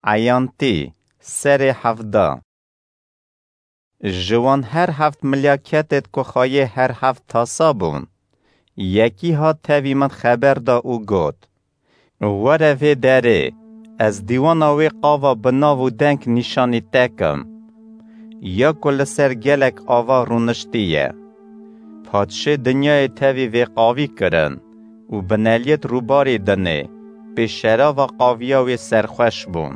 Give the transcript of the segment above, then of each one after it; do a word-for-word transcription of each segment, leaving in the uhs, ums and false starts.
Eyantî, serê hevda. Ji wan her heft milyaketêt ku xayê her heft tasa bûn, yekî hat tevî min xeber da û got: Were vê derê, ez dîwana wê qava bi nav û deng nîşanî te kim, ya ku li ser gelek ava rûniştiye. Padşê dinyayê tevî vê qavî kirin û bineliyêt rûbarê dinê pê şerava qaviya wê serxweş bûn.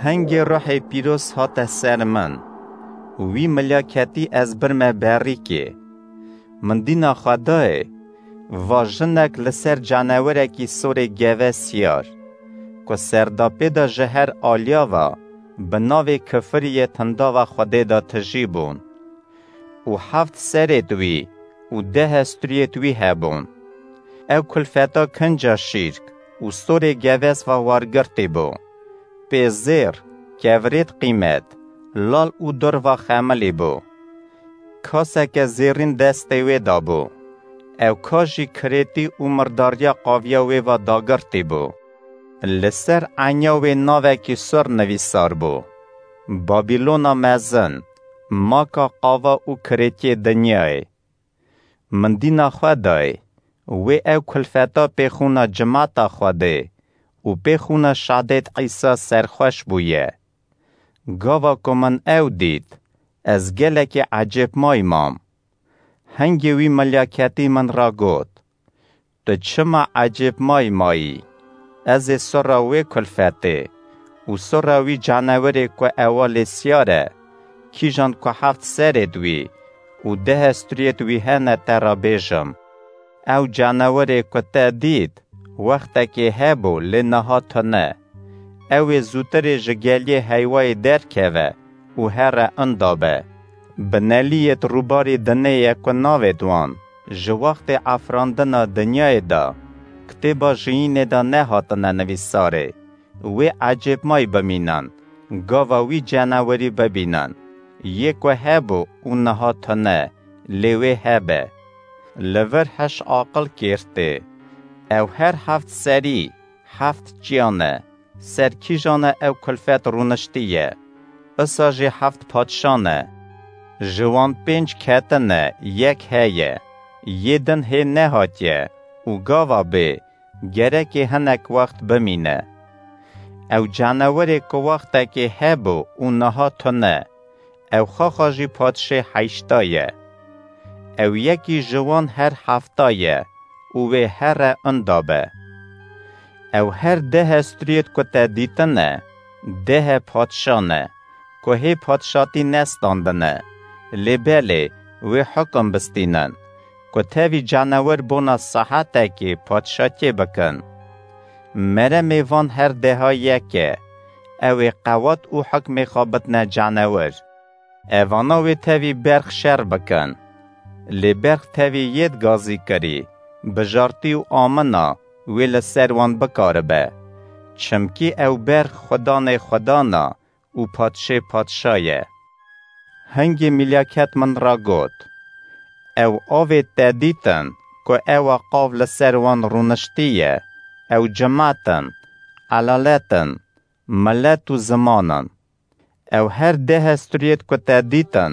Hingê ruhê pîroz hate ser min û wî milyaketî ez birme berîkê. Min dîna xwe dayê, va jinek li ser canewerekî sorê geve siyar, ku serdapê de ji her aliya ve bi navê kifiriyê tindava Xwedê de tijî bûn. Û heft serêt wî û deh estriyêt wî hebûn. Ew kulfeta kinca şîrk û sorê geves ve wargirtî bû. Pê zêr, kevirêt qîmet, lal û dur ve xemilî bû. Kaseke zêrîn destê wê de bû. Ew ka jî kirêtî û mirdariya qaviya wê ve dagirtî bû. Li ser enya wê navekî sur nivîsar bû: Babilona mezin, maka qava û kirêtiyê dinyayê. Min dîna xwe dayê, wê ew kulfeta pê xûna cimata Xwedê û pê xûna şadêt Îsa serxweş bûye. Gava ku min ew dît, ez gelekî ecêbmay mam. Hingê wî milyaketî min ra got: Tu çima ecêbmay mayî? Ez ê sora wê kulfetê û sora wî canewerê ku ewa lê siyar e, kîjan ku heft serêt wî û deh estriyêt wî hene te ra bêjim. Ew canewerê ku te dît, wextekê hebû, lê niha tune. Ew ê zûtirê ji geliyê heywayê derkeve û here inda be. Bineliyêt rûbarê dinê ye ku navêt wan ji wextê afirandina dinyayê de kitêba jiyînê de nehatine nivîsarê. Wê ecêbmay bimînin, gava wî canewerî bibînin, yê ku hebû û niha tune, lê wê hebe. Li vir heş aqil kêr tê. Ew her heft serî, heft çiyan e. Ser kîjan e ew kulfet rûniştiye? Isa jî heft padşan e. Ji wan pênc ketine, yek heye. Yê din hê nehatiye û gava bê, gerekê hinek wext bimîne. Ew canewerê ku wextekê hebû û niha tune, ew xaxa jî padşê heyşta ye. Ew yekî ji wan her hefta ye û wê here inda be. Ew her deh estriyêt ku te dîtine, dehe padşan e, ku hê padşatî nestandine, lê belê wê hukum bistînin, ku tevî canewer bona sahetekê padşatiyê bikin. Meremê van her deha yek e, ew ê qewat û hukmê xwe bidne canewer. Evana wê tevî berx şer bikin. Lê berx tevî yêt gazî kirî, bijartî û amina wê li ser wan bikaribe. Çimkî ew berx Xudanê xudana û padşê padşa ye. Hingê milyaket min ra got: Ew avê te dîtin ku ewa qav li ser wan rûniştiye, ew cimat in, elalet in, milet û ziman in. Ew her deh estriyêt ku te dîtin,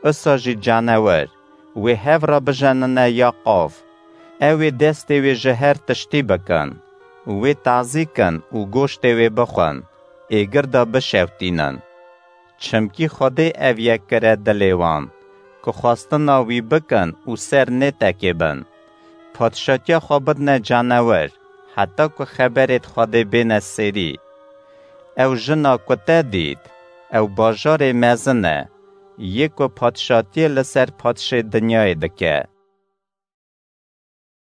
isa jî canewer, wê hev re bijenine ya qav. Ew ê destê wê ji her tiştî bikin, wê tazî kin û goştê wê bixwin, êgir de bişewtînin. Çimkî Xwedê ev yek kire dilê wan, ku xwestina wî bikin û ser nêtekê bin. Padşatiya xwe bidine canewer, heta ku xeberêt Xwedê bêne sêrî. Ew jina ku te dît, ew bajarê mezin e, yê ku padşatiyê li ser padşê dinyayê dike.